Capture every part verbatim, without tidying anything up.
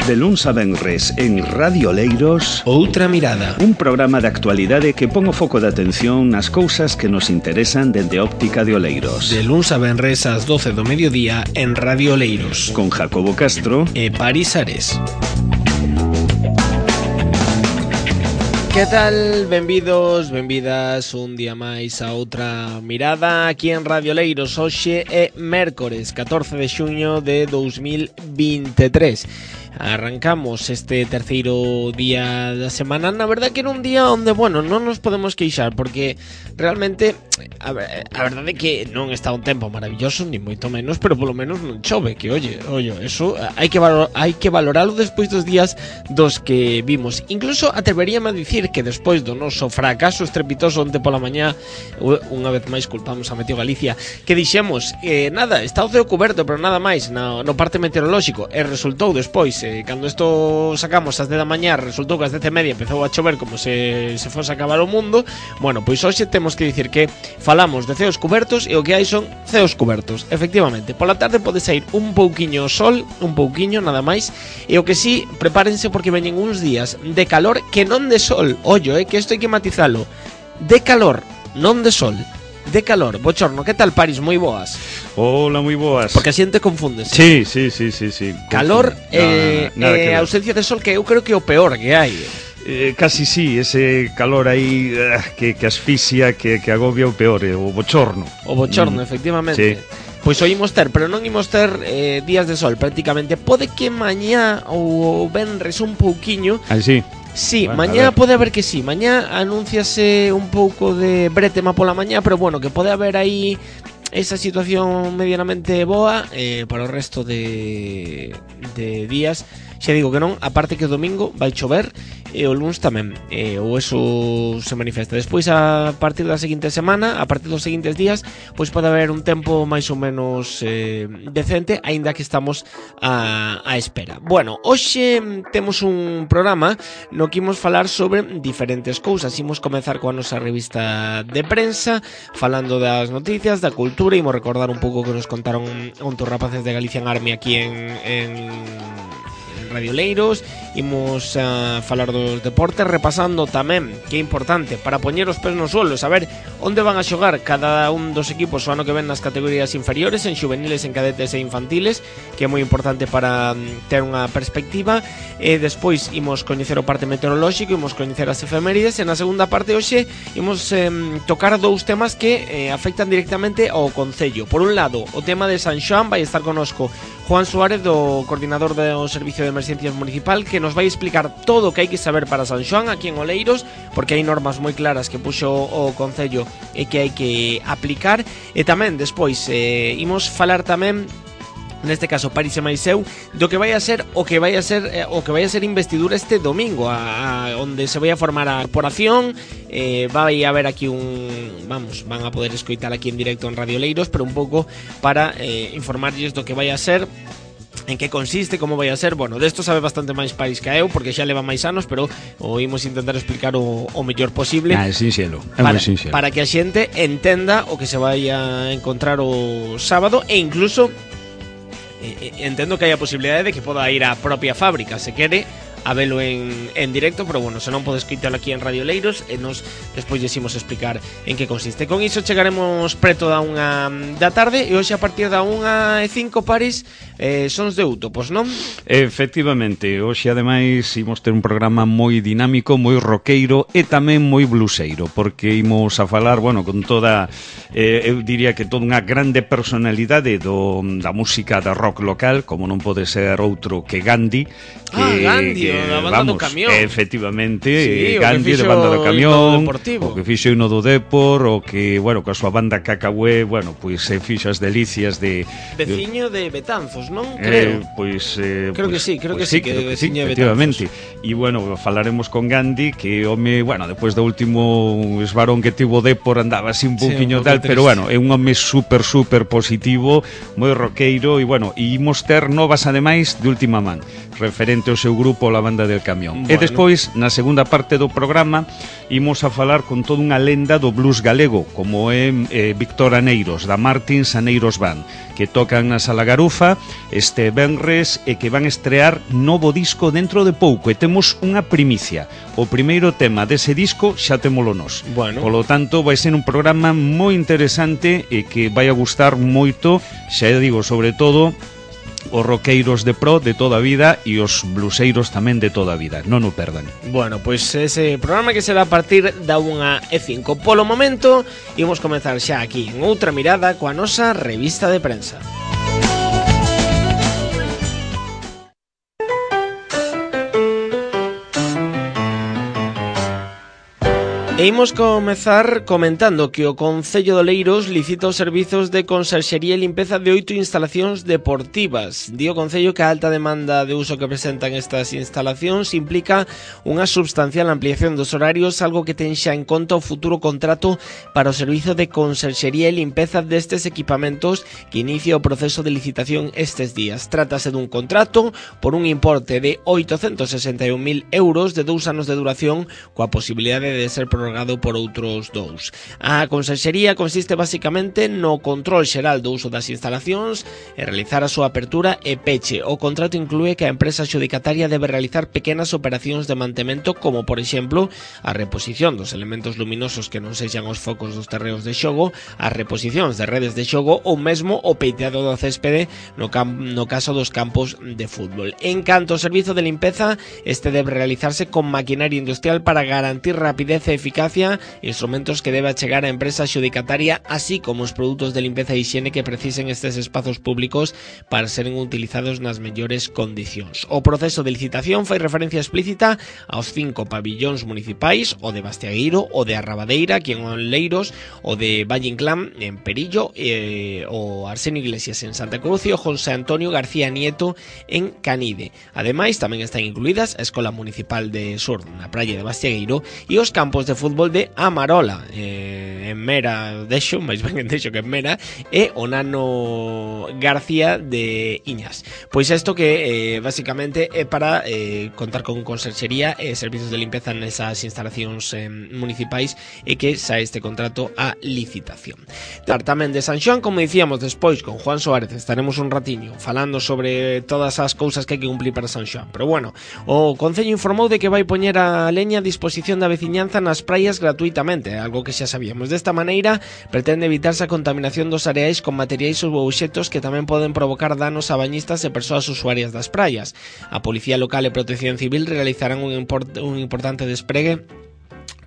De luns a venres en Radio Oleiros, Outra Mirada, un programa de actualidade que pon o foco de atención nas cousas que nos interesan dende óptica de Oleiros. De luns a venres ás doce do mediodía en Radio Oleiros, con Jacobo Castro e Paris Ares. Que tal? Benvidos, benvidas un día máis a Outra Mirada aquí en Radio Oleiros. Hoxe é mércores catorce de xuño de dous mil vinte e tres. Arrancamos este terceiro día da semana. Na verdade que era un día onde, bueno, non nos podemos queixar, porque realmente a, a verdade é que non está un tempo maravilloso, ni moito menos, pero polo menos non chove, que oye, oye, eso hai que valor, hai que valoralo despois dos días dos que vimos. Incluso atreveríame a dicir que despois do noso fracaso estrepitoso onte pola mañá, unha vez máis culpamos a Meteo Galicia, que dixemos, eh, nada, está o ceo coberto, pero nada máis no, no parte meteorolóxico, e resultou despois, eh, cando isto sacamos ás dez da mañá, resultou que ás dez e media empezou a chover como se se fose a acabar o mundo. Bueno, pois hoxe temos que dicir que falamos de ceos cubertos e o que hai son ceos cubertos. Efectivamente, pola tarde pode sair un pouquiño o sol, un pouquiño, nada máis, e o que sí, prepárense porque veñen uns días de calor que non de sol. Ollo, eh, que isto hai que matizalo. De calor, non de sol. De calor. Bochorno, que tal, Paris? Moi boas. Hola, moi boas. Porque a xente confunde. Sí, sí, sí, sí, sí. Calor e eh, eh, ausencia de sol, que eu creo que é o peor que hai. Eh, casi sí, ese calor aí uh, que, que asfixia, que, que agobia o peor, eh, o bochorno. O bochorno, mm, efectivamente. Sí. Pois o imos ter, pero non imos ter eh, días de sol prácticamente. Pode que mañá ou venres un pouquiño. Ah, sí. Sí, bueno, mañá pode haber que sí. Mañá anúnciase un pouco de bretema pola mañá, pero bueno, que pode haber aí esa situación medianamente boa eh, para o resto de, de días. Xa digo que non, aparte que o domingo vai chover e o luns tamén, eh, ou eso se manifesta. Despois, a partir da seguinte semana, a partir dos seguintes días, pois pode haber un tempo máis ou menos eh, decente, aínda que estamos a, a espera. Bueno, hoxe temos un programa no que imos falar sobre diferentes cousas. Imos comezar coa nosa revista de prensa, falando das noticias, da cultura. Imos recordar un pouco que nos contaron ontos rapaces de Galician Army aquí en... en Radio Oleiros. Imos a falar dos deportes, repasando tamén, que é importante, para poñer os pés no suelo, saber onde van a xogar cada un dos equipos o ano que ven nas categorías inferiores, en xuveniles, en cadetes e infantiles, que é moi importante para ter unha perspectiva. E despois imos coñecer o parte meteorolóxico, imos coñecer as efemérides, e na segunda parte hoxe imos eh, tocar dous temas que eh, afectan directamente ao concello. Por un lado, o tema de San Xoán, vai estar conosco Juan Suárez, do coordinador do Servicio de Emergencias Municipal, que nos vai explicar todo o que hai que saber para San Xoán aquí en Oleiros, porque hai normas moi claras que puxo o Concello e que hai que aplicar. E tamén, despois, eh, imos falar tamén, neste caso Paris e máis eu, do que vai a ser o que vai a ser eh, o que vai a ser investidura este domingo, a, a onde se vai a formar a corporación. Eh, vai haber aquí un, vamos, van a poder escoitar aquí en directo en Radio Oleiros, pero un pouco para eh, informarlles do que vai a ser, en que consiste, como vai a ser. Bueno, desto sabe bastante máis Paris que eu, porque xa leva máis anos, pero o imos intentar explicar o, o mellor posible. Ah, é sinxelo, é para, moi sinxelo. Para que a xente entenda o que se vai a encontrar o sábado, e incluso eh, entendo que hai a posibilidade de que poda ir á propia fábrica, se quere, a velo en, en directo, pero bueno, se non podes escoitalo aquí en Radio Oleiros, e nos despois decimos explicar en que consiste. Con iso chegaremos preto da unha da tarde, e hoxe a partir da unha e cinco, Paris, eh, sons de Utopos, non? Efectivamente, hoxe ademais imos ter un programa moi dinámico, moi roqueiro e tamén moi bluseiro, porque imos a falar, bueno, con toda, eh, eu diría que toda unha grande personalidade do, da música da rock local, como non pode ser outro que Gandhi. Que, ah, Gandhi, que, da banda vamos, do camión. Efectivamente, sí, Gandhi de banda do camión, o que fixo o do Depor, o que, bueno, coa súa banda Cacahué, bueno, pois se fixo as delicias de... Veciño de Betanzos, non? Eh, Creo. pois, eh, creo pues, que sí, creo pues que sí, sí, que, creo que sí, veciño de efectivamente. E, bueno, falaremos con Gandhi, que home, bueno, despois do último esbarón que tivo Depor, andaba así un pouquiño sí, tal, pero, bueno, é un home super, super positivo, moi roqueiro, e, bueno, e imos ter novas, ademais, de última man, referente ao seu grupo La pola banda del camión. Bueno. E despois, na segunda parte do programa, imos a falar con toda unha lenda do blues galego, como é eh, Víctor Aneiros, da Martins Aneiros Band, que tocan na Sala Garufa este venres e que van estrear novo disco dentro de pouco, e temos unha primicia. O primeiro tema dese disco xa témolo nós. Bueno. Polo tanto, vai ser un programa moi interesante e que vai a gustar moito, xa digo, sobre todo os roqueiros de pro de toda a vida e os bluseiros tamén de toda a vida. Non o perdan. Bueno, pois ese programa que será a partir da unha e cinco. Polo momento, imos comenzar xa aquí en outra mirada coa nosa revista de prensa. E imos comezar comentando que o Concello de Oleiros licita os servizos de conserxería e limpeza de oito instalacións deportivas. Di o Concello que a alta demanda de uso que presentan estas instalacións implica unha substancial ampliación dos horarios, algo que ten xa en conta o futuro contrato para o servizo de conserxería e limpeza destes equipamentos que inicia o proceso de licitación estes días. Trátase dun contrato por un importe de oitocentos sesenta e un mil euros de dous anos de duración, coa posibilidade de ser prorrogado por outros dous. A conserxería consiste basicamente no control xeral do uso das instalacións e realizar a súa apertura e peche. O contrato inclúe que a empresa adxudicataria debe realizar pequenas operacións de mantemento, como por exemplo a reposición dos elementos luminosos que non sexan os focos dos terreos de xogo, as reposicións de redes de xogo ou mesmo o peiteado do céspede no, cam no caso dos campos de fútbol. En canto ao servizo de limpeza, este debe realizarse con maquinaria industrial para garantir rapidez e eficacia, instrumentos que debe achegar a empresa adxudicataria, así como os produtos de limpeza e higiene que precisen estes espazos públicos para seren utilizados nas mellores condicións. O proceso de licitación fai referencia explícita aos cinco pabillóns municipais, o de Bastiagueiro, o de Arrabadeira, aquí en Oleiros, o de Valle Inclán en Perillo, eh, o Arsenio Iglesias en Santa Cruz e o José Antonio García Nieto en Canide. Ademais, tamén están incluídas a Escola Municipal de Sur na praia de Bastiagueiro e os campos de fútbol de Amarola, eh, en Mera Deixo, máis ben en Deixo que en Mera, e o Nano García de Iñas. Pois isto que eh, basicamente é para eh, contar con conserxería e servizos de limpeza nesas instalacións eh, municipais e que xa este contrato a licitación. Tamén de San Xoán, como dicíamos despois con Juan Suárez, estaremos un ratiño falando sobre todas as cousas que hai que cumplir para San Xoán. Pero bueno, o Concello informou de que vai poñer a leña a disposición da veciñanza nas praias gratuitamente, algo que xa sabíamos. Desta maneira, pretende evitarse a contaminación dos areais con materiais ou obxectos que tamén poden provocar danos a bañistas e persoas usuarias das praias. A Policía Local e Protección Civil realizarán un, import un importante despregue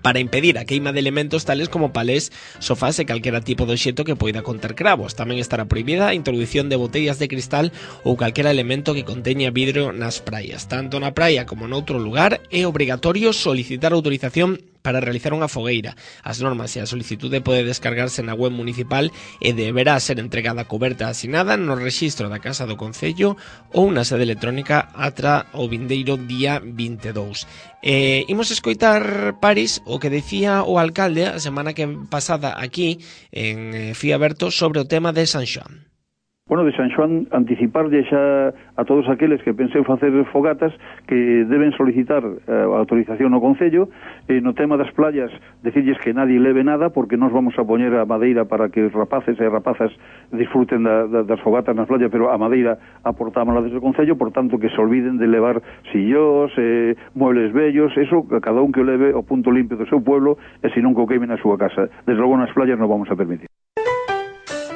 para impedir a queima de elementos tales como palés, sofás e calquera tipo de obxecto que poida conter cravos. Tamén estará prohibida a introducción de botellas de cristal ou calquera elemento que conteña vidro nas praias. Tanto na praia como noutro lugar é obrigatorio solicitar autorización para realizar unha fogueira. As normas e a solicitude pode descargarse na web municipal e deberá ser entregada coberta asinada no rexistro da Casa do Concello ou na sede electrónica atra o vindeiro día vinte e dous. Eh, imos escoitar, Paris, o que decía o alcalde a semana que pasada aquí en eh, Fía Aberto sobre o tema de San Xoán. Bueno, de San Xoán, anticiparlle xa a todos aqueles que penseu facer fogatas que deben solicitar a autorización no Concello. Eh, no tema das playas, decirles que nadie leve nada, porque nos vamos a poñer a madeira para que os rapaces e rapazas disfruten da, da, das fogatas nas playas, pero a madeira aportámola desde o Concello, por tanto que se olviden de levar sillós, eh, muebles bellos, eso, cada un que o leve o punto limpio do seu pueblo, e se non que o queimen na súa casa. Desde logo nas playas non vamos a permitir.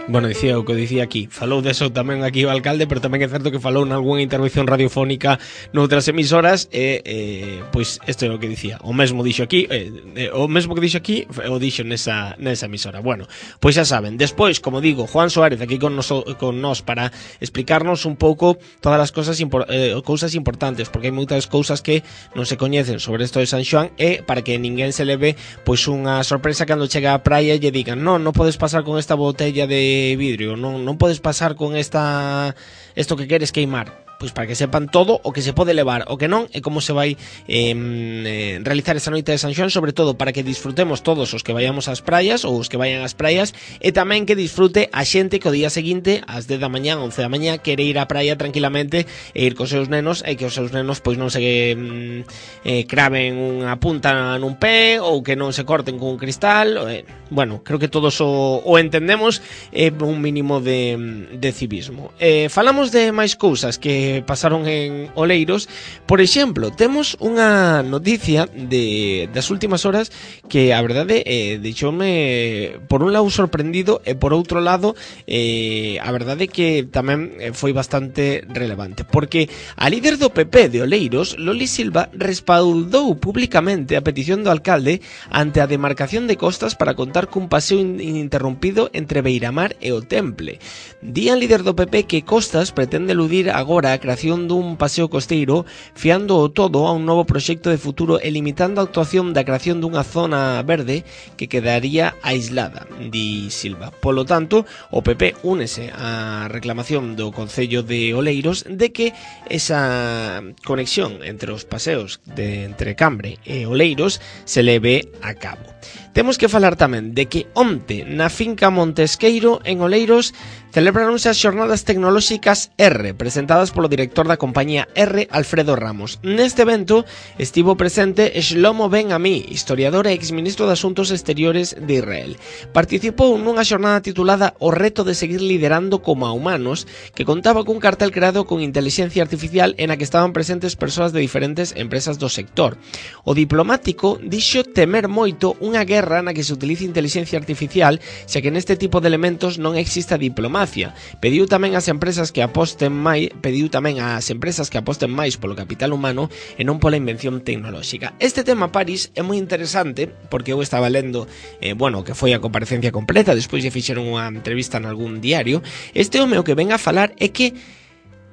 Bueno, dicía o que dicía aquí, falou deso tamén aquí o alcalde, pero tamén é certo que falou nalgúna intervención radiofónica noutras emisoras e, eh, pois, isto é o que dicía, o mesmo dixo aquí, eh, eh, o mesmo que dixo aquí, o dixo nesa, nesa emisora. Bueno, pois xa saben, despois, como digo, Juan Suárez aquí con nos, con nos para explicarnos un pouco todas as cousas, impor, eh, cousas importantes, porque hai moitas cousas que non se coñecen sobre isto de San Xoán e para que ninguén se leve pois unha sorpresa cando chega á praia e lle digan, non, non podes pasar con esta botella de vidrio, non, non podes pasar con esta esto que queres queimar. pois para que sepan todo o que se pode levar, o que non, e como se vai eh, eh, realizar esa noite de San Xoán, sobre todo para que disfrutemos todos os que vayamos ás praias ou os que vayan ás praias, e tamén que disfrute a xente que o día seguinte ás dez da mañá, once da mañá, quere ir á praia tranquilamente e ir cos seus nenos, e que os seus nenos pois non se mm, eh, craven unha punta nun pé ou que non se corten con un cristal. eh, bueno, creo que todos o, o entendemos, é eh, un mínimo de, de civismo. Eh, falamos de máis cousas que pasaron en Oleiros. Por exemplo, temos unha noticia de das últimas horas que a verdade eh, deixoume por un lado sorprendido e por outro lado eh, a verdade que tamén foi bastante relevante, porque a líder do P P de Oleiros, Loli Silva, respaldou públicamente a petición do alcalde ante a demarcación de costas para contar cun paseo ininterrompido entre Beiramar e o Temple. Di a líder do P P que Costas pretende eludir agora a creación dun paseo costeiro, fiando o todo a un novo proxecto de futuro e limitando a actuación da creación dunha zona verde que quedaría aislada, di Silva. Polo tanto, o P P únese á reclamación do Concello de Oleiros de que esa conexión entre os paseos de entre Cambre e Oleiros se leve a cabo. Temos que falar tamén de que onte na finca Montesqueiro en Oleiros celebráronse as xornadas tecnolóxicas R, presentadas polo director da compañía R, Alfredo Ramos. Neste evento estivo presente Shlomo Ben-Ami, historiador e exministro de Asuntos Exteriores de Israel. Participou nunha xornada titulada O reto de seguir liderando como a humanos, que contaba cun cartel creado con inteligencia artificial en a que estaban presentes persoas de diferentes empresas do sector. O diplomático dixo temer moito unha guerra na que se utilice inteligencia artificial, xa que neste tipo de elementos non exista diplomacia. Pediu tamén ás empresas que aposten máis, pediu tamén ás empresas que aposten máis polo capital humano e non pola invención tecnolóxica. Este tema, Paris, é moi interesante porque eu estaba lendo, eh, bueno, que foi a comparecencia completa, despois lle fixeron unha entrevista en algún diario. Este home o que ven a falar é que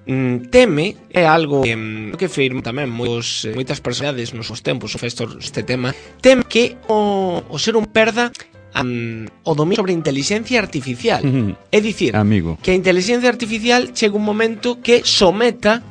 mm, teme, é algo que, mm, que firma tamén moitos, eh, moitas personalidades nos seus tempos este tema, teme que o, o ser un perda Um, o dominio sobre a inteligencia artificial. Uh-huh. É dicir, amigo, que a inteligencia artificial chega un momento que someta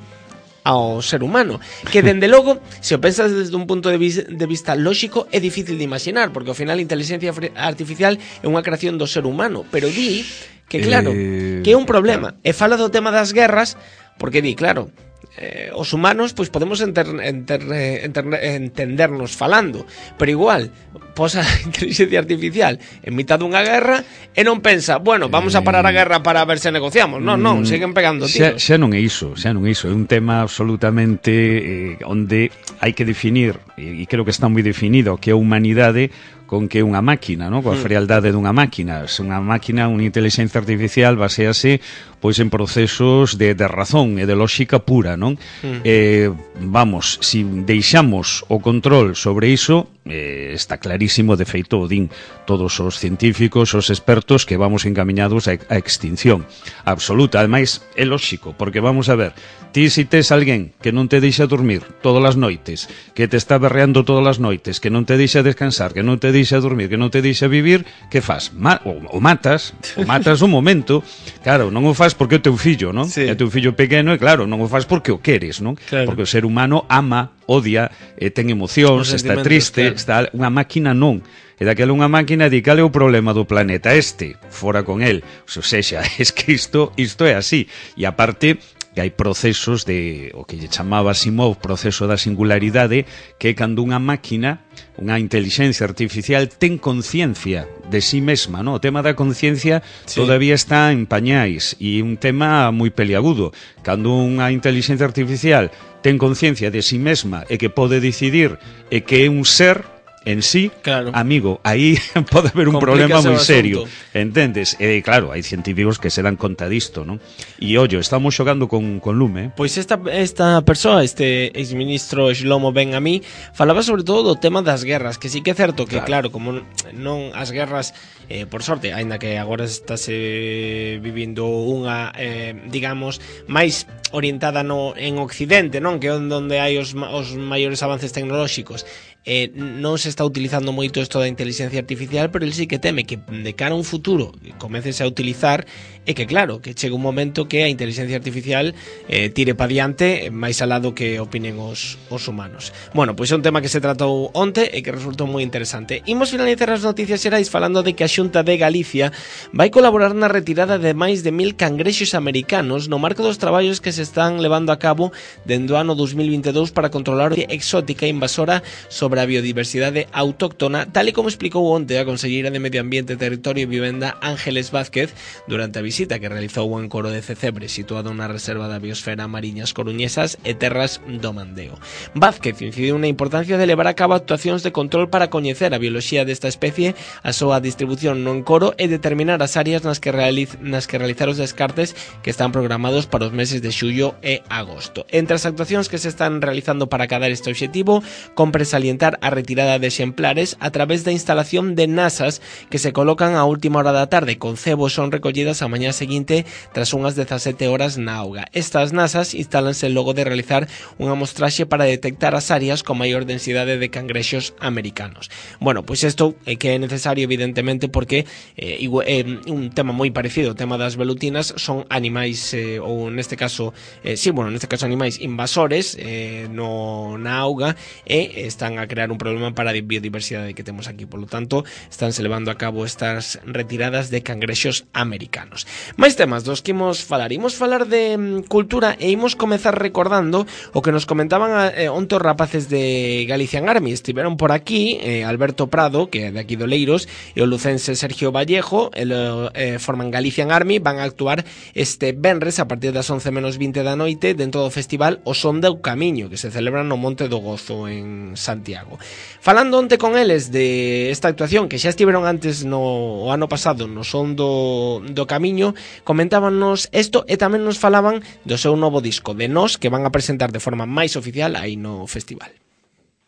ao ser humano, que dende logo, se o pensas desde un punto de, vis- de vista lógico, é difícil de imaginar, porque ao final a inteligencia artificial é unha creación do ser humano, pero di que claro, eh... que é un problema, e fala do tema das guerras, porque di, claro, Eh, os humanos pois podemos enter, enter, enter, entendernos falando, pero igual posa a inteligencia artificial en mitad dunha guerra e non pensa, bueno, vamos a parar a guerra para ver se negociamos. Non, non, seguen pegando tiros. Xa, xa non é iso, xa non é iso, é un tema absolutamente eh, onde hai que definir, e, e creo que está moi definido, que a humanidade con que unha máquina, no? Coa frialdade dunha máquina. Se unha máquina, unha inteligencia artificial basease pois en procesos de, de razón e de lógica pura, non? Mm. Eh, vamos, si deixamos o control sobre iso, eh, está clarísimo, de feito o din todos os científicos, os expertos, que vamos encaminhados a, a extinción absoluta. Ademais, é lógico, porque vamos a ver, ti si tes alguén que non te deixa dormir todas as noites, que te está berreando todas as noites, que non te deixa descansar, que non te deixa dormir, que non te deixa vivir, que fas? Ma o, o matas, o matas un momento. Claro, non o fas porque é o teu fillo, non? Sí. É o teu fillo pequeno e claro, non o fas porque o queres, non? Claro. Porque o ser humano ama, odia, eh, ten emocións, está triste, claro. Está unha máquina non. E daquela unha máquina di, cal é o problema do planeta este? Fora con el. O sexa, es que isto, isto é así. E aparte, que hai procesos de, o que lle chamaba Asimov, proceso da singularidade, que é cando unha máquina, unha inteligencia artificial, ten conciencia de sí mesma, no? O tema da conciencia sí. Todavía está en pañais, e un tema moi peliagudo. Cando unha inteligencia artificial ten conciencia de sí mesma e que pode decidir e que é un ser en sí, claro. Amigo, aí pode haber un problema moi serio, entendes? E claro, hai científicos que se dan conta disto, non? E ollo, estamos xogando con, con lume, eh? Pois esta, esta persoa, este exministro Shlomo Ben-Ami, falaba sobre todo do tema das guerras, que sí que é certo que, claro, claro como non as guerras, eh, por sorte, aínda que agora estáse vivindo unha, eh, digamos, máis orientada no, en Occidente, non? Que é onde hai os, os maiores avances tecnolóxicos. eh, non se está utilizando moito isto da inteligencia artificial, pero el sí que teme que de cara a un futuro comecese a utilizar e que claro, que chega un momento que a inteligencia artificial eh, tire pa diante máis alá do que opinen os, os humanos. Bueno, pois é un tema que se tratou onte e que resultou moi interesante. Imos finalizar as noticias xerais falando de que a Xunta de Galicia vai colaborar na retirada de máis de mil cangrexos americanos no marco dos traballos que se están levando a cabo dende o ano dos mil vinte e dous para controlar a exótica e invasora sobre a biodiversidade autóctona, tal e como explicou onte a conselleira de Medio Ambiente, Territorio e Vivenda Ángeles Vázquez durante a visita que realizou o encoro de Cecebre, situado na reserva da biosfera Mariñas Coruñesas e Terras do Mandeo. Vázquez incidiu na importancia de levar a cabo actuacións de control para coñecer a bioloxía desta especie, a súa distribución no encoro e determinar as áreas nas que, realiz, nas que realizar os descartes que están programados para os meses de xullo e agosto. Entre as actuacións que se están realizando para acadar este obxectivo, compre salientar a retirada de exemplares a través da instalación de nasas que se colocan a última hora da tarde con cebos son recollidas a mañá seguinte tras unhas dezasete horas na auga. Estas nasas instálanse logo de realizar unha mostraxe para detectar as áreas con maior densidade de cangrexos americanos. Bueno, pois isto é que é necesario evidentemente porque eh, é un tema moi parecido, o tema das velutinas son animais eh, ou neste caso, eh, sí, bueno, neste caso animais invasores eh, no, na auga e están a crear un problema para a biodiversidade que temos aquí, polo tanto estánse levando a cabo estas retiradas de cangrexos americanos. Mais temas dos que imos falar, imos falar de mm, cultura e imos comezar recordando o que nos comentaban eh, onte os rapaces de Galician Army. Estiveron por aquí eh, Alberto Prado, que é de aquí do Leiros, e o lucense Sergio Vallejo, el, eh, forman Galician Army, van a actuar este venres a partir das once menos vinte da noite dentro do festival O Son do Camiño, que se celebra no Monte do Gozo en Santiago. Falando onte con eles de esta actuación que xa estiveron antes no o ano pasado no Son do, do Camiño, comentábanos isto e tamén nos falaban do seu novo disco, de Nós, que van a presentar de forma máis oficial aí no festival.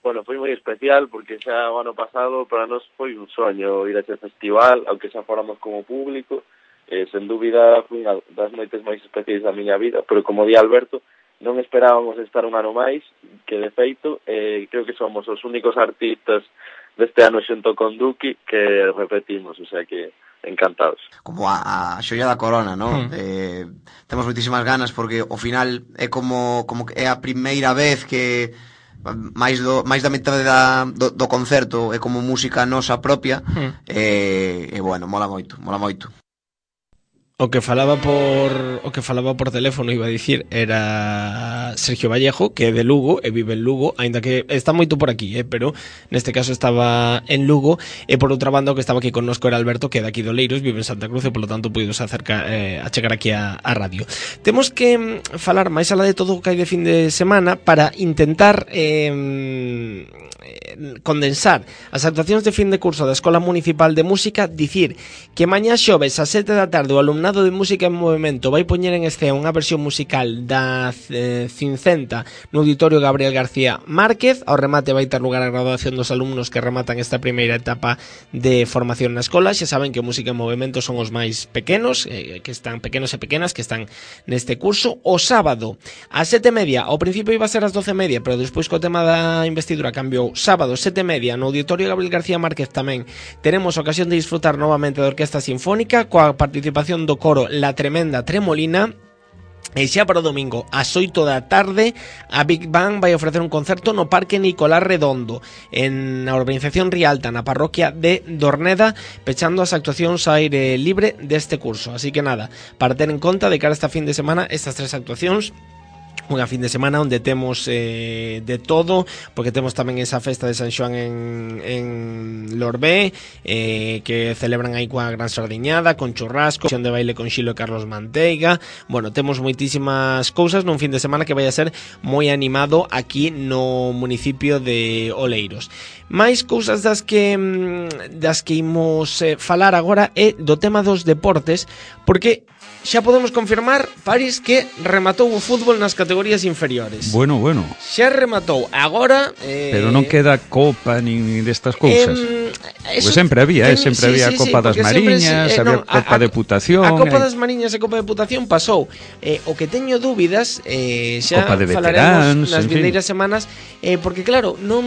Bueno, foi moi especial porque xa o ano pasado para nós foi un soño ir a ese festival, aunque xa fóramos como público, eh, sen dúbida foi unha das noites máis especiais da miña vida, pero como di Alberto, non esperábamos estar un ano máis, que de feito, eh, creo que somos os únicos artistas deste ano xunto con Duki que repetimos, o sea que encantados. Como a, a xoia da corona, non? Mm. Eh, temos moitísimas ganas porque ao final é como, como que é a primeira vez que máis do máis da metade da, do, do concerto é como música nosa propia mm. e, e bueno, mola moito, mola moito. O que falaba por o que falaba por teléfono, iba a dicir, era Sergio Vallejo, que é de Lugo e vive en Lugo, aínda que está moito por aquí, eh, pero neste caso estaba en Lugo, e por outra banda o que estaba aquí connosco era Alberto, que é de aquí do Leiros, vive en Santa Cruz e polo tanto puidos acerca eh, a chegar aquí a, a radio. Temos que falar máis alá de todo o que hai de fin de semana para intentar eh, condensar as actuacións de fin de curso da Escola Municipal de Música, dicir que mañá xoves a sete da tarde o alumnado de Música en Movimento vai poñer en escena unha versión musical da eh, Cincenta no Auditorio Gabriel García Márquez. Ao remate vai ter lugar a graduación dos alumnos que rematan esta primeira etapa de formación na escola. Xa saben que Música en Movimento son os máis pequenos, eh, que están pequenos e pequenas que están neste curso. O sábado a sete e media, ao principio iba a ser as doce e media, pero despois co tema da investidura cambiou. Sábado sete e media no Auditorio Gabriel García Márquez tamén teremos ocasión de disfrutar novamente da Orquesta Sinfónica coa participación do coro La Tremenda Tremolina. E xa para o domingo, ás oito da tarde, a Big Bang vai ofrecer un concerto no Parque Nicolás Redondo, en a urbanización Rialta, na parroquia de Dorneda, pechando as actuacións a aire libre deste curso. Así que nada, para ter en conta de cara a esta fin de semana, estas tres actuacións, unha fin de semana onde temos eh, de todo, porque temos tamén esa festa de San Xoán en, en Lorbé, eh, que celebran aí coa gran sardiñada, con churrasco, sesión de baile con Xilo e Carlos Manteiga. Bueno, temos moitísimas cousas nun fin de semana que vai a ser moi animado aquí no municipio de Oleiros. Mais cousas das que das que imos eh, falar agora é do tema dos deportes, porque xa podemos confirmar, París, que rematou o fútbol nas categorías inferiores. Bueno, bueno. Xa rematou. Agora... Eh, Pero non queda copa nin destas cousas. Eh, Eso, pues sempre había, eh, sempre sí, había sí, Copa sí, das Mariñas, sempre, eh, había no, Copa a, de Putación. A Copa das Mariñas e Copa de Putación pasou. Eh, o que teño dúbidas, eh, xa Copa de falaremos veterans, nas vindeiras semanas, eh, porque claro, non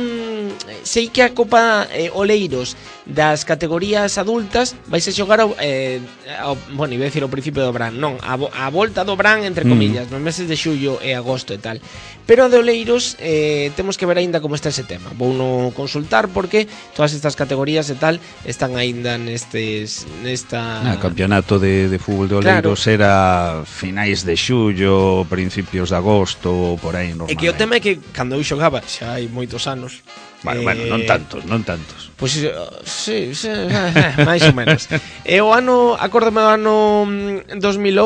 sei que a Copa eh, Oleiros das categorías adultas vais a xogar ao, eh, ao, bueno, iba a decir ao principio do Bran, non, a, a volta do Bran entre comillas, mm. nos meses de xullo e agosto e tal. Pero a de Oleiros eh, temos que ver aínda como está ese tema. Vou no consultar porque todas estas categorías e tal están aínda nestes nesta ah, campeonato de, de fútbol de Oleiros, claro. Era finais de xullo, principios de agosto, por aí normal. E que o tema é que cando eu xogaba xa hai moitos anos. Bueno, eh, bueno, non tantos, non tantos. Pois pues, sí, sí, eh, máis ou menos. E o ano, acórdame do ano dos mil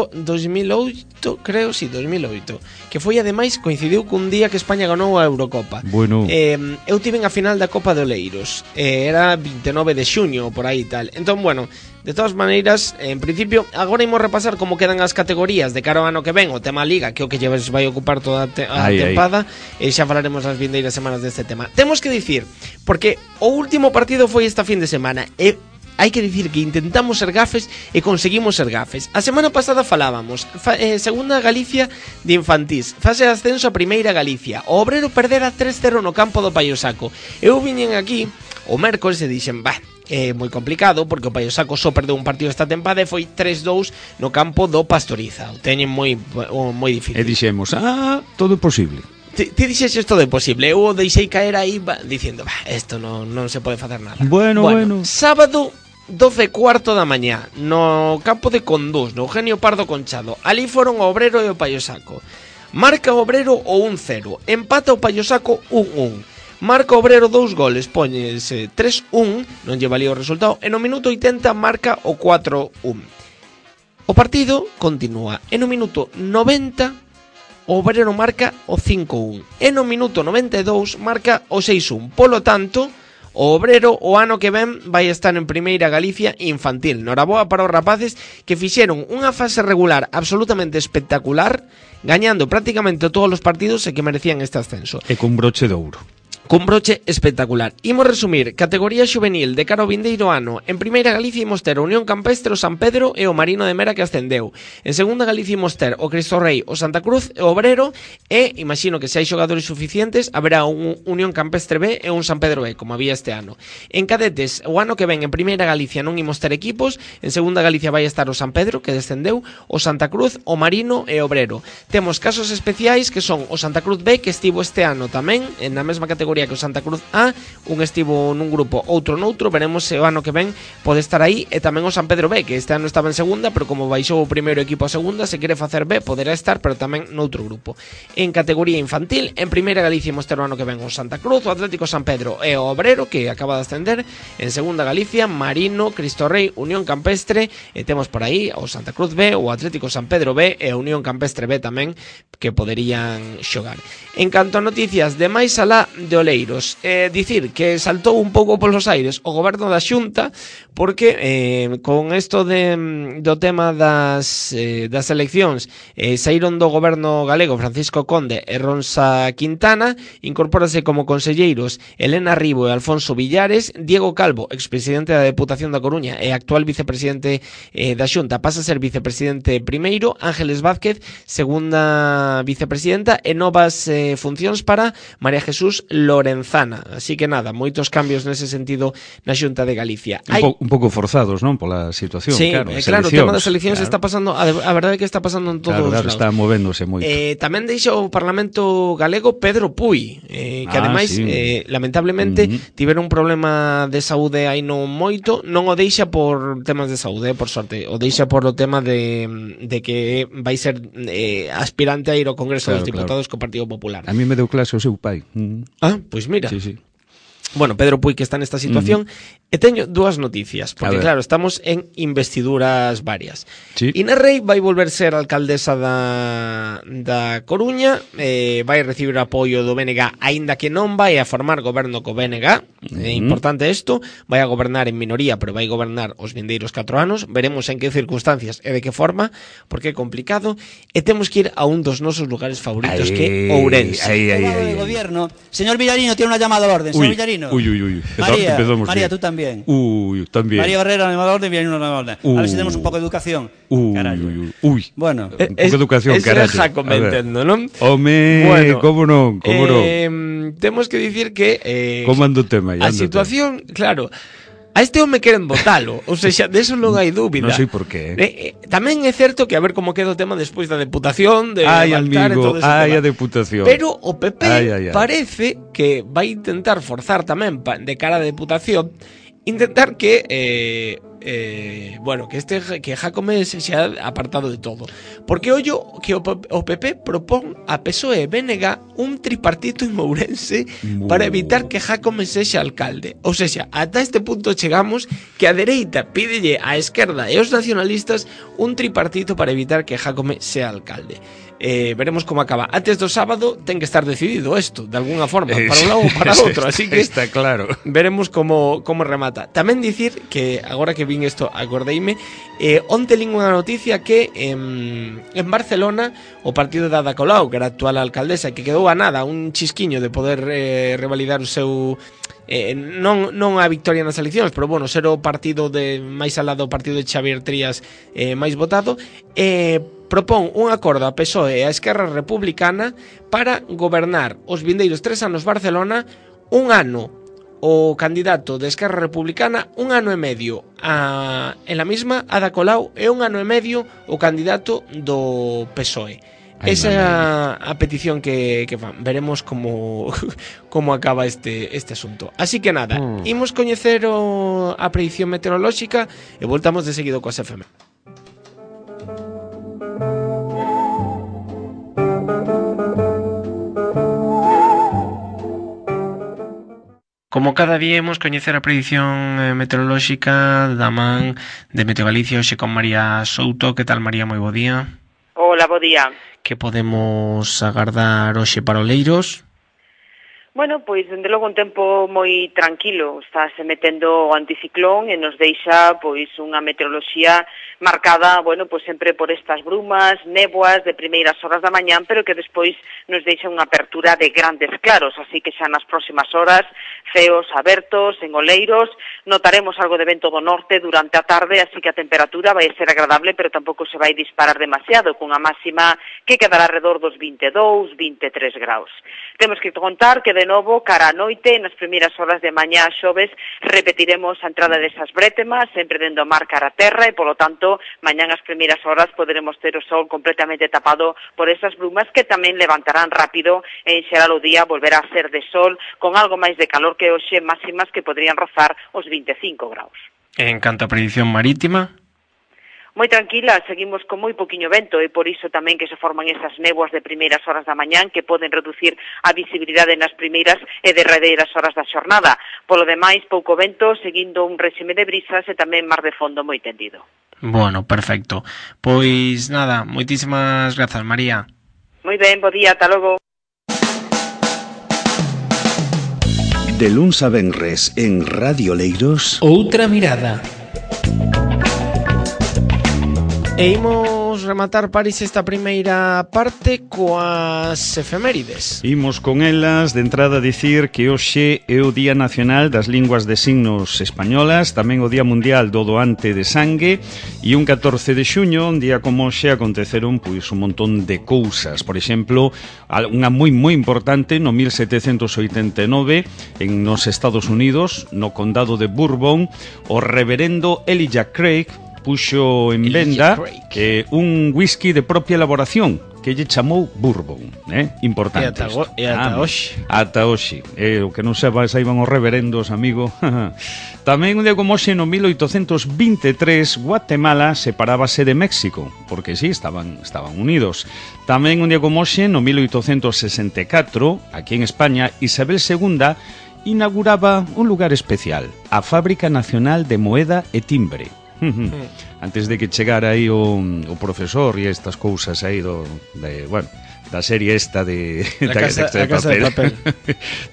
oito, creo, si, sí, dos mil oito, que foi ademais coincidiu cun día que España ganou a Eurocopa. Bueno. Eh, eu tive a final da Copa de Oleiros. Eh, era vinte e nove de xuño por aí tal. Entón, bueno, de todas maneiras, en principio, agora imos repasar como quedan as categorías de cara ao ano que ven, o tema Liga, que é o que lleves vai ocupar toda a, te a ay, tempada, ay. E xa falaremos nas vindeiras semanas deste tema. Temos que dicir, porque o último partido foi esta fin de semana, e hai que dicir que intentamos ser gafes e conseguimos ser gafes. A semana pasada falábamos, fa, eh, segunda Galicia de infantís, fase de ascenso a primeira Galicia, o Obrero perdera tres cero no campo do Paio Saco. Eu viñen aquí o mércoles e dixen, bah, é moi complicado porque o Paio Saco só perdeu un partido esta tempada e foi tres dous no campo do Pastoriza. O teñen moi moi difícil. E dixemos, ah, todo é posible. Ti, ti dixes todo é posible. Eu o deixei caer aí va, dicindo, bah, isto non, non se pode facer nada. Bueno, bueno, bueno. Sábado doce e cuarto da mañá no campo de Condús, no Eugenio Pardo Conchado. Ali foron o Obrero e o Paio Saco. Marca o Obrero o un cero, empata o Paio Saco un un. Marca o Obrero dous goles, póñese tres un, non lle valía o resultado, e no minuto oitenta marca o cuatro un. O partido continúa, e no minuto noventa o Obrero marca o cinco un, e no minuto noventa e dous marca o seis un. Polo tanto, o Obrero o ano que ven vai estar en primeira Galicia infantil. Noraboa para os rapaces que fixeron unha fase regular absolutamente espectacular, gañando prácticamente todos os partidos e que merecían este ascenso. E con broche de ouro. Cun broche espectacular. Imos resumir, categoría xuvenil de cara ao vindeiro ano. En primeira Galicia imos ter o Unión Campestre, o San Pedro e o Marino de Mera que ascendeu. En segunda Galicia imos ter o Cristo Rei, o Santa Cruz e o Obrero, e imagino que se hai xogadores suficientes haberá un Unión Campestre B e un San Pedro B, como había este ano. En cadetes, o ano que ven en primeira Galicia non imos ter equipos. En segunda Galicia vai estar o San Pedro, que descendeu, o Santa Cruz, o Marino e o Obrero. Temos casos especiais que son o Santa Cruz B, que estivo este ano tamén en a mesma categoría que o Santa Cruz A, un estivo nun grupo, outro noutro, veremos se o ano que ven pode estar aí, e tamén o San Pedro B, que este ano estaba en segunda, pero como baixou o primeiro equipo a segunda, se quere facer B, poderá estar, pero tamén noutro grupo. En categoría infantil, en primeira Galicia imos ter o ano que ven o Santa Cruz, o Atlético San Pedro e o Obrero, que acaba de ascender. En segunda Galicia, Marino, Cristo Rei, Unión Campestre, e temos por aí o Santa Cruz B, o Atlético San Pedro B e o Unión Campestre B tamén, que poderían xogar. En canto a noticias de máis alá de Oleiros, eh, dicir que saltou un pouco polos aires o goberno da Xunta, porque eh, con isto de, do tema das, eh, das eleccións eh, saíron do goberno galego Francisco Conde e Ronsa Quintana, incorpórase como conselleiros Elena Ribo e Alfonso Villares. Diego Calvo, expresidente da Deputación da Coruña e actual vicepresidente eh, da Xunta, pasa a ser vicepresidente primeiro. Ángeles Vázquez, segunda vicepresidenta, e novas eh, funcións para María Jesús Lorenzana. Así que nada, moitos cambios nese sentido na Xunta de Galicia. Un, po, un pouco forzados, non? Pola situación, sí, claro. Eh, claro, o tema das eleccións claro. está pasando, a, a verdade é que está pasando en todos claro, os claro, lados. Está movéndose moito. Eh, tamén deixa o Parlamento galego Pedro Puy, eh, que ah, ademais, sí. eh, lamentablemente, uh -huh. tiveron un problema de saúde aí non moito, non o deixa por temas de saúde, por sorte, o deixa por o tema de, de que vai ser eh, aspirante a ir ao Congreso claro, dos Diputados claro. co Partido Popular. A mí me deu clase o seu pai. Uh -huh. Ah, pois pues mira. Sí, sí. Bueno, Pedro Puy que está nesta situación. Uh-huh. E teño dúas noticias, porque claro, estamos en investiduras varias. Sí. Inés Rei vai volver ser alcaldesa da, da Coruña, eh, vai recibir apoio do B N G, aínda que non vai a formar goberno co B N G. Uh-huh. É importante isto, vai a gobernar en minoría, pero vai gobernar os vindeiros catro anos. Veremos en que circunstancias e de que forma, porque é complicado. E temos que ir a un dos nosos lugares favoritos, ay, que é Ourense. Ay, ay, ay, ay, ay. De gobierno. Señor Villarino, tiene una llamada al orden. Señor Villarino. Villanuno. Uy, uy, uy. María, Empezamos María, bien. tú también. Uy, también. María Barrera, animador de Villanuno na orden. Uh. A ver si tenemos un poco de educación. Uy, Carallo. uy, uy. Uy. Bueno, Un pouco de educación, es carallo. Jacome, A ver. entendo, non? Home, Bueno, como non, como non. eh, temos que dicir que eh, Como ando o tema? a situación, claro, a este home queren votalo, ou seja, de eso non hai dúbida. Non sei por qué. Eh, eh, tamén é certo que a ver como queda o tema despois da deputación, de Ai, Baltar e amigo, todo ese ai, tema. a deputación. Pero o P P Ai, ai, ai. parece que vai intentar forzar tamén pa, de cara a deputación, intentar que eh, eh, bueno, que este que Jacome se xa apartado de todo. Porque ollo que o, o P P propón a P S O E e B N G un tripartito en Ourense Mu. para evitar que Jacome sexa alcalde. Ou seja, ata este punto chegamos que a dereita pídelle á esquerda e aos nacionalistas un tripartito para evitar que Jacome sea alcalde. Eh, veremos como acaba. Antes do sábado ten que estar decidido isto, de alguna forma, para un lado ou para outro, así que está claro. veremos como, como remata. Tamén dicir que, agora que vin isto, acordeime, eh, onte lín unha noticia que en, en Barcelona o partido de Ada Colau, que era a actual alcaldesa, que quedou a nada, un chisquiño de poder eh, revalidar o seu... Eh, non, non a victoria nas eleccións, pero bueno, ser o partido de máis alá do partido de Xavier Trías eh, máis votado, eh, propón un acordo a P S O E e a Esquerra Republicana para gobernar os vindeiros tres anos Barcelona, un ano o candidato de Esquerra Republicana, un ano e medio a, en la misma Ada Colau e un ano e medio o candidato do P S O E. Ai, Esa é mamá. a, a petición que, que fan. Veremos como como acaba este este asunto. Así que nada, Mm. imos coñecer o, a predicción meteorolóxica e voltamos de seguido coas F M. Como cada día imos coñecer a predicción eh, meteorolóxica da man de Meteo Galicia, hoxe con María Souto. Que tal, María? Moi bo día. Hola, bo día. Que podemos agardar hoxe para Oleiros? Bueno, pois, dende logo un tempo moi tranquilo. Estáse metendo o anticiclón e nos deixa, pois, unha meteoroloxía marcada, bueno, pois sempre por estas brumas, néboas de primeiras horas da mañán, pero que despois nos deixa unha apertura de grandes claros, así que xa nas próximas horas, ceos abertos en Oleiros, notaremos algo de vento do norte durante a tarde, así que a temperatura vai ser agradable, pero tampouco se vai disparar demasiado, cunha máxima que quedará alrededor dos vinte e dous, vinte e tres graus. Temos que contar que de novo, cara a noite, nas primeiras horas de mañá xoves, repetiremos a entrada desas brétemas, sempre dendo a mar cara a terra, e polo tanto, mañán as primeiras horas poderemos ter o sol completamente tapado por esas brumas que tamén levantarán rápido e en xeral o día volverá a ser de sol con algo máis de calor que hoxe, máximas que podrían rozar os vinte e cinco graus. En canto a predicción marítima? Moi tranquila, seguimos con moi poquiño vento e por iso tamén que se forman esas néboas de primeiras horas da mañán que poden reducir a visibilidade nas primeiras e derradeiras horas da xornada. Polo demais, pouco vento, seguindo un réxime de brisas e tamén mar de fondo moi tendido. Bueno, perfecto. Pois nada, moitísimas grazas, María. Moi ben, bo día, ata logo. De luns a venres en Radio Oleiros. Outra mirada. E imos rematar, París, esta primeira parte coas efemérides. Imos con elas, de entrada dicir que hoxe é o Día Nacional das Linguas de Signos Españolas, tamén o Día Mundial do Doante de Sangue, e un catorce de xuño, un día como hoxe, aconteceron pois un montón de cousas. Por exemplo, unha moi moi importante no mil setecentos oitenta e nove en nos Estados Unidos, no condado de Bourbon, o reverendo Elijah Craig puxo en venda eh, un whisky de propia elaboración que lle chamou Bourbon, eh? Importante. E ata, go, e ata ah, hoxe. Ata hoxe. Eh, o que non seba, saiban os reverendos, amigo. Tamén un día como hoxe, no mil oitocentos vinte e tres, Guatemala separábase de México, porque sí, estaban, estaban unidos. Tamén un día como hoxe, no mil oitocentos sesenta e catro, aquí en España, Isabel segunda inauguraba un lugar especial, a Fábrica Nacional de Moeda e Timbre. Antes de que chegara aí o, o profesor e estas cousas aí do, de, bueno, da serie esta de La da, casa, de, de, casa de papel.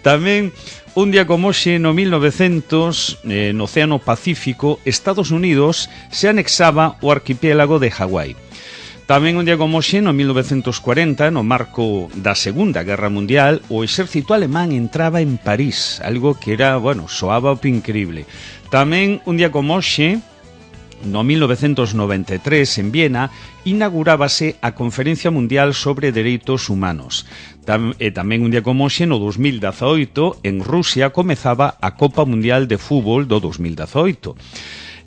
Tamén un día como hoxe, no mil novecientos, eh, no Océano Pacífico, Estados Unidos se anexaba o arquipiélago de Hawái. Tamén un día como hoxe, no mil novecentos cuarenta, no marco da Segunda Guerra Mundial, o exército alemán entraba en París, algo que era, bueno, soaba o increíble. Tamén un día como hoxe, no mil novecentos noventa e tres, en Viena, inaugurábase a Conferencia Mundial sobre Dereitos Humanos. Tam, e tamén un día como hoxe, no dos mil dezaoito, en Rusia, comezaba a Copa Mundial de Fútbol do dos mil dezaoito.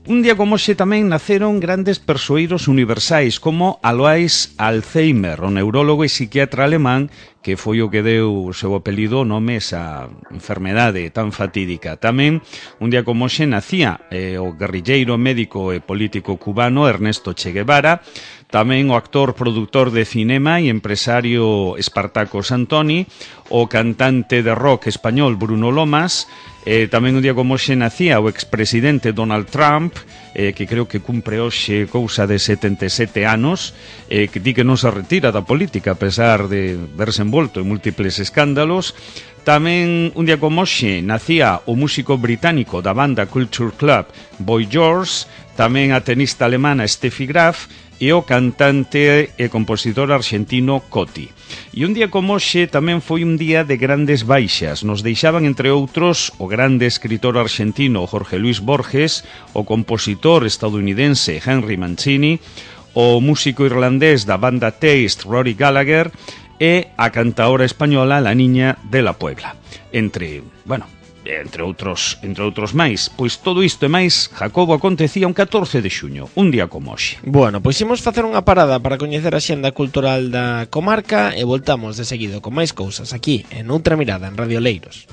Un día como hoxe tamén naceron grandes persoeiros universais como Alois Alzheimer, o neurólogo e psiquiatra alemán que foi o que deu o seu apelido o nome esa enfermedade tan fatídica. Tamén un día como hoxe nacía eh, o guerrilleiro médico e político cubano Ernesto Che Guevara, tamén o actor, produtor de cinema e empresario Espartaco Santoni, o cantante de rock español Bruno Lomas. Eh, tamén un día como hoxe nacía o expresidente Donald Trump, eh, que creo que cumpre hoxe cousa de setenta e sete anos, eh, que di que non se retira da política a pesar de verse envolto en múltiples escándalos. Tamén un día como hoxe nacía o músico británico da banda Culture Club Boy George, tamén a tenista alemana Steffi Graf e o cantante e compositor argentino Coti. E un día como hoxe tamén foi un día de grandes baixas. Nos deixaban, entre outros, o grande escritor argentino Jorge Luis Borges, o compositor estadounidense Henry Mancini, o músico irlandés da banda Taste Rory Gallagher e a cantaora española La Niña de la Puebla. Entre, bueno, entre outros, entre outros máis. Pois todo isto e máis, Jacobo, acontecía un catorce de xuño, un día como hoxe. Bueno, pois imos facer unha parada para coñecer a xenda cultural da comarca e voltamos de seguido con máis cousas aquí en Outra Mirada en Radio Leiros.